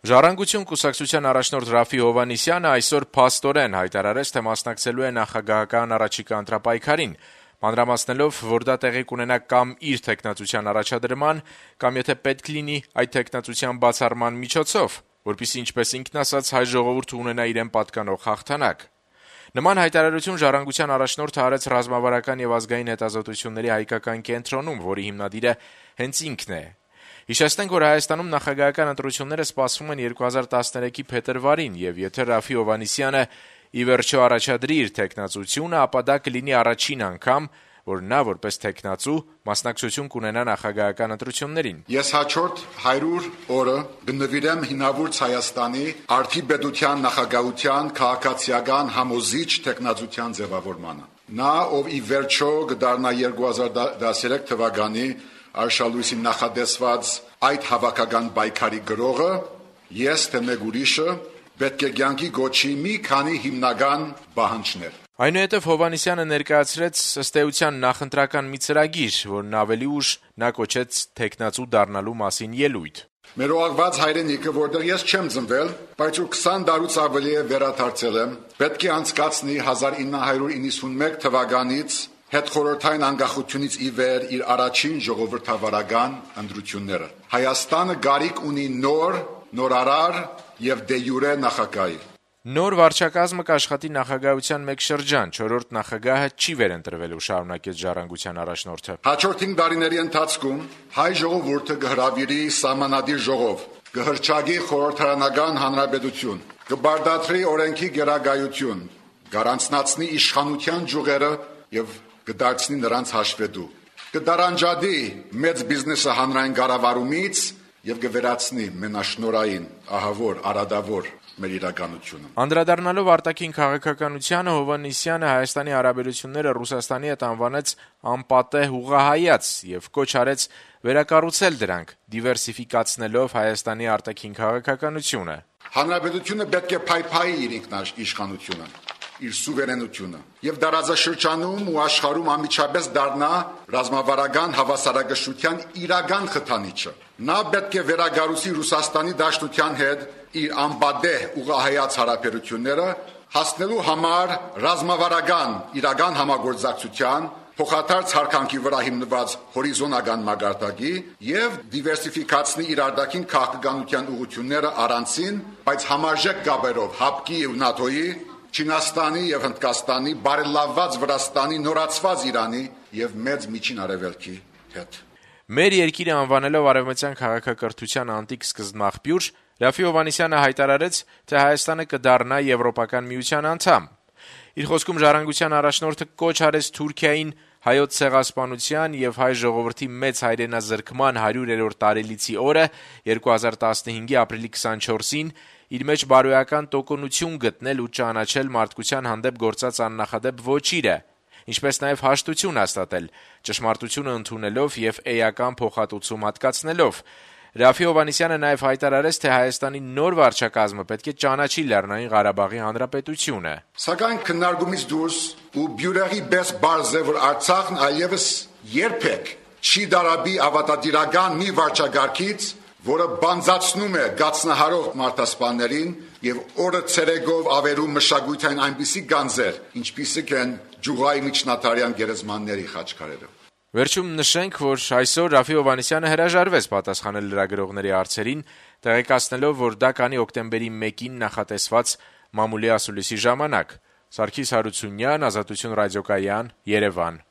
Ժառանգություն կուսակցության առաջնորդ Ռաֆի Հովհաննիսյանը այսօր փաստորեն հայտարարեց, թե մասնակցելու է նախագահական առաջիկա ընտրապայքարին, մանրամասնելով, որ դա տեղի կունենա կամ իր թեկնածության առաջադրման, կամ եթե պետք լինի, այդ թեկնածության բացառման միջոցով, որպեսզի, ինչպես ինքն ասաց, հայ ժողովուրդը ունենա իրեն պատկանող հաղթանակ։ Նման հայտարարություն Ժառանգության առաջնորդը արեց ռազմավարական եւ ազգային հետազոտությունների հայկական կենտրոնում, որի հիմնադիրը հենց ինքն է։ Հիշեցնենք, որ Հայաստանում նախագահական ընտրությունները սպասվում են 2013-ի փետրվարին, եւ եթե Ռաֆի Հովհաննիսյանը ի վերջո առաջադրի իր թեկնածությունը, ապա դա կլինի առաջին անգամ, որ նա որպես թեկնածու մասնակցություն կունենա նախագահական ընտրություններին։ Ես հաջորդ 100 օրը կնվիրեմ հինավուրց Հայաստանի արդիպետության նախագահության քաղաքացիական համոզիչ թեկնածության ձևավորմանը։ Նա, ով ի վերջո կդառնա 2013 թվականի Արշալույսի նախադեсված այդ հավաքական պայքարի գրողը, ես թե մեկ ուրիշը պետք է կյանքի գոչի մի քանի հիմնական պահանջներ։ Այնուհետև Հովհաննիսյանը ներկայացրեց ըստ էության նախընտրական մի ծրագիր, որն ավելի ուշ նա կոչեց թեկնածու դառնալու մասին ելույթ։ Մեր օղակված հայրենիքը, որտեղ ես չեմ ծնվել, բայց որ 20 տարուց ավելի է վերադարձել եմ, պետք է անցկացնի 1991 թվականից հետխորհրդային անկախությունից ի վեր իր առաջին ժողովրդավարական ընտրությունները։ Հայաստանը կարիք ունի նոր, նորարար եւ դե յուրե նախագահի։ Նոր վարչակազմը կաշխատի նախագահության մեկ շրջան, 4-րդ նախագահը չի վերընտրվելու, շարունակեց Ժառանգության առաջնորդը։ Հաջորդ 5 տարիների ընթացքում հայ ժողովուրդը կհրավիրի սահմանադիր ժողով, կհրճագի խորհրդարանական հանրապետություն, կբարդացրի օրենքի գերագայություն, կառանձնացնի իշխանության ջուղերը եւ կդարձնի նրանց հաշվետու, կդարանջադի մեծ բիզնեսը հանրային կառավարումից եւ կվերացնի մենաշնորային, ահավոր, արադավոր մեր իրականությունը։ Անդրադառնալով արտաքին քաղաքականությանը, Հովհաննիսյանը Հայաստանի հարաբերությունները Ռուսաստանի հետ անվանեց անպատեհ ուղղահայաց եւ կոչ արեց վերակառուցել դրանք, դիվերսիֆիկացնելով Հայաստանի արտաքին քաղաքականությունը։ Հանրապետությունը պետք է փայփայի իր ինքնիշխանությունը, իր սուվերենությունը եւ դարաձաշրջանում ու աշխարհում անմիջապես դառնա ռազմավարական հավասարակշռության իրական խթանիչը։ Նա պետք է վերագառուցի Ռուսաստանի Դաշնության հետ իր անպատեհ ուղղահայաց հարաբերությունները, հասնելու համար ռազմավարական իրական համագործակցության, փոխադարձ հարկանքի վրա հիմնված հորիզոնական մակարդակի եւ դիվերսիֆիկացնի իր արտաքին քաղաքականության ուղղությունները առանցին, բայց համարժեք կապերով ՀԱՊԿ-ի ու ՆԱՏՕ-ի, Չինաստանի եւ Հնդկաստանի, բարելավված Վրաստանի, նորացված Իրանի եւ մեծ միջին արևելքի հետ։ Մեր երկիրը անվանելով արևմտյան քաղաքակրթության անտիկ սկզբնաղբյուր, Ռաֆի Հովհաննիսյանը հայտարարեց, թե Հայաստանը կդառնա Եվրոպական միության անդամ։ Իր խոսքում Ժառանգության առաջնորդը կոչ արեց Թուրքիային հայոց ցեղասպանության եւ հայ ժողովրդի մեծ հայրենազրկման 100-րդ տարելիցի օրը 2015-ի ապրիլի 24-ին իր մեջ բարոյական տոկունություն գտնել ու ճանաչել մարդկության հանդեպ գործած աննախադեպ ոչիրը, ինչպես նաև հաշտություն հաստատել, ճշմարտությունը ընդունելով եւ էական փոխհատուցում հատկացնելով։ Ռաֆի Հովհաննիսյանը նաև հայտարարեց, թե Հայաստանի նոր վարչակազմը պետք է ճանաչի Լեռնային Ղարաբաղի Հանրապետությունը։ Սակայն քննարկումից դուրս ու բյուրեղի պես բարձ է, որ Արցախն այլևս երբեք չի դարաբի ավատատիրական մի վարչագարքից, որը բանձացնում է գացնահարող մարդասպաններին եւ օրը ցերեգով ավերում մշակութային այնպիսի գանձեր, ինչպիսիք են Ջուղայի միջնադարյան գերեզմանների խաչքարերը։ Վերջում նշենք, որ այսօր Ռաֆի Հովհաննիսյանը հրաժարվեց պատասխանել լրագրողների հարցերին, տեղեկացնելով, որ դա կանի օկտեմբերի 1-ին նախատեսված մամուլի ասուլիսի ժամանակ։ Սարգիս Հարությունյան, Ազատություն ռադիոկայան, Երևան։